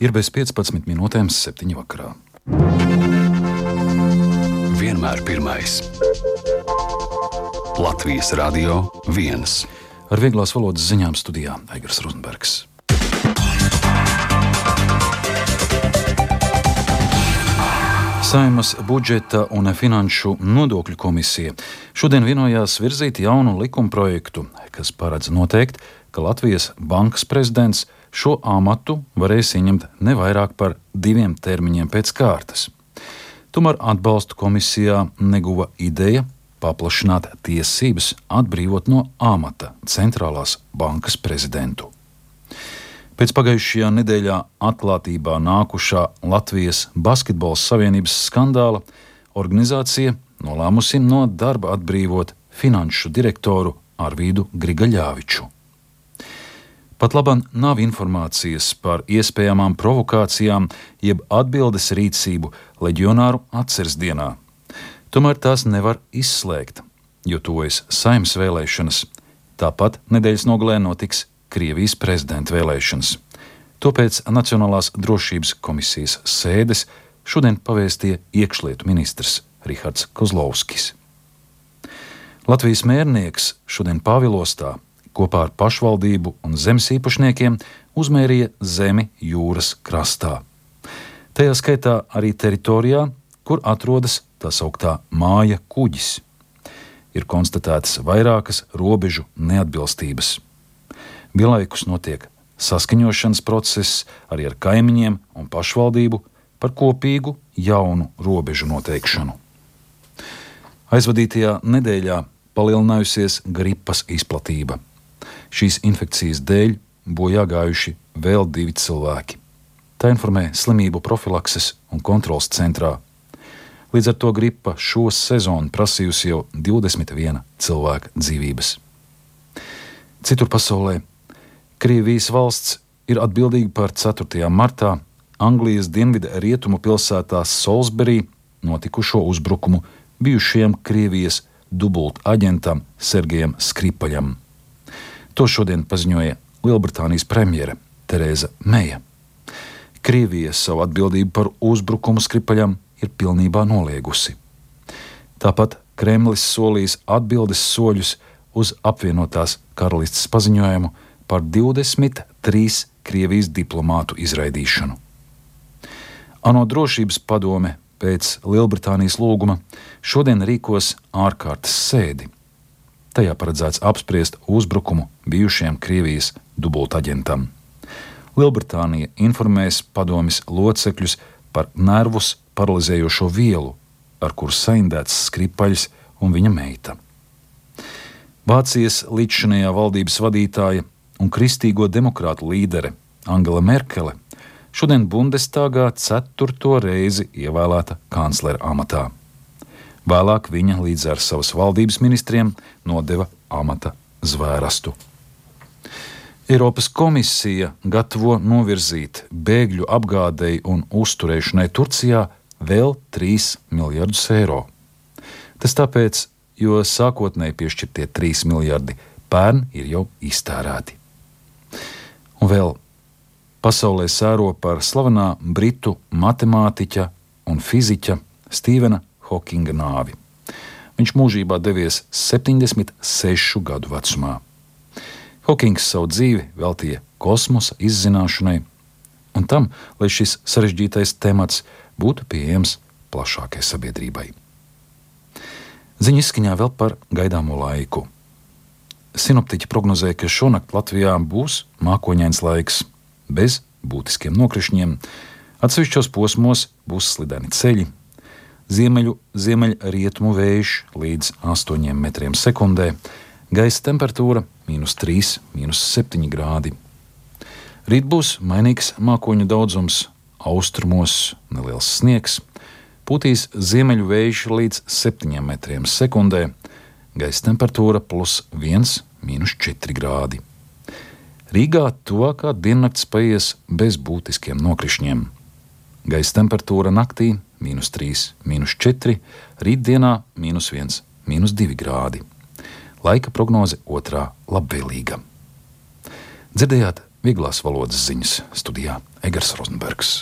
Ir bez 15 minūtēm 7 vakarā. Vienmēr pirmais. Latvijas Radio 1. Ar vieglās valodas ziņām studijā Aigars Rozenbergs. Saeimas budžeta un finanšu nodokļu komisija šodien vienojās virzīt jaunu likumprojektu, kas paredz noteikt, ka Latvijas bankas prezidents šo amatu varēs ieņemt ne vairāk par 2 termiņiem pēc kārtas. Tomēr atbalstu komisijā neguva ideja paplašināt tiesības atbrīvot no amata centrālās bankas prezidentu. Pēc pagājušajā nedēļā atklātībā nākušā Latvijas Basketbola Savienības skandāla organizācija nolēmusi no darba atbrīvot finanšu direktoru Arvīdu Grigaļāviču. Pat labam nav informācijas par iespējamām provokācijām jeb atbildes rīcību leģionāru atceres dienā. Tomēr tās nevar izslēgt, jo tuvojas Saeimas vēlēšanas. Tāpat nedēļas nogalē notiks Krievijas prezidenta vēlēšanas. Tāpēc Nacionālās drošības komisijas sēdes šodien pavēstīja iekšlietu ministrs Rihards Kozlovskis. Latvijas mērnieks šodien Pāvilostā kopā ar pašvaldību un zemes īpašniekiem uzmērīja zemi jūras krastā. Tajā skaitā arī teritorijā, kur atrodas tā sauktā māja kuģis. Ir konstatētas vairākas robežu neatbilstības. Vienlaikus notiek saskaņošanas process arī ar kaimiņiem un pašvaldību par kopīgu jaunu robežu noteikšanu. Aizvadītajā nedēļā palielinājusies gripas izplatība. Šīs infekcijas dēļ bojā gājuši vēl 2 cilvēki. Tā informē Slimību profilakses un kontroles centrā. Līdz ar to gripa šo sezonu prasījusi jau 21 cilvēka dzīvības. Citur pasaulē Krievijas valsts ir atbildīga par 4. martā Anglijas dienvidu rietumu pilsētā Salisbury notikušo uzbrukumu bijušajam Krievijas dubultaģentam Sergejam Skripaļam. To šodien paziņoja Lielbritānijas premjere Tereza Meja. Krievija savu atbildību par uzbrukumu Skripaļam ir pilnībā noliegusi. Tāpat Kremlis solījis atbildes soļus uz apvienotās karalistes paziņojumu par 23 Krievijas diplomātu izraidīšanu. ANO drošības padome pēc Lielbritānijas lūguma šodien rīkos ārkārtas sēdi. Tajā paredzēts apspriest uzbrukumu bijušajam Krievijas dubultaģentam. Lielbritānija informēs padomes locekļus par nervus paralizējošo vielu, ar kuru saindēts Skripaļs un viņa meita. Vācijas līdzšinējā valdības vadītāja un kristīgo demokrātu līdere Angela Merkele šodien Bundestagā 4. reizi ievēlēta kanclera amatā. Vēlāk viņa līdz ar savas valdības ministriem nodeva amata zvērastu. Eiropas komisija gatavo novirzīt bēgļu apgādei un uzturēšanai Turcijā vēl 3 miljardus eiro. Tas tāpēc, jo sākotnēji piešķirtie 3 miljardi pērn ir jau iztērēti. Un vēl pasaulē sēro par slavenā britu matemātiķa un fiziķa Stīvena Hokinga nāvi. Viņš mūžībā devies 76 gadu vecumā. Hokings savu dzīvi veltīja kosmosa izzināšanai un tam, lai šis sarežģītais temats būtu pieejams plašākai sabiedrībai. Ziņu izskaņā vēl par gaidāmo laiku. Sinoptiķi prognozē, ka šonakt Latvijā būs mākoņains laiks, bez būtiskiem nokrišņiem, atsevišķos posmos būs slideni ceļi, ziemeļrietumu vējš līdz 8 metriem sekundē, gaisa temperatūra -3, -7 grādi. Rīt būs mainīgs mākoņu daudzums, austrumos neliels sniegs, pūtīs ziemeļu vējš līdz 7 metriem sekundē, gaisa temperatūra +1, -4 grādi. Rīgā tuvākā diennakts paies bez būtiskiem nokrišņiem. Gaisa temperatūra naktī -3, -4, rītdienā -1, -2 grādi. Laika prognoze otrā labvēlīga. Dzirdējāt Vieglās valodas ziņas studijā Egers Rozenbergs.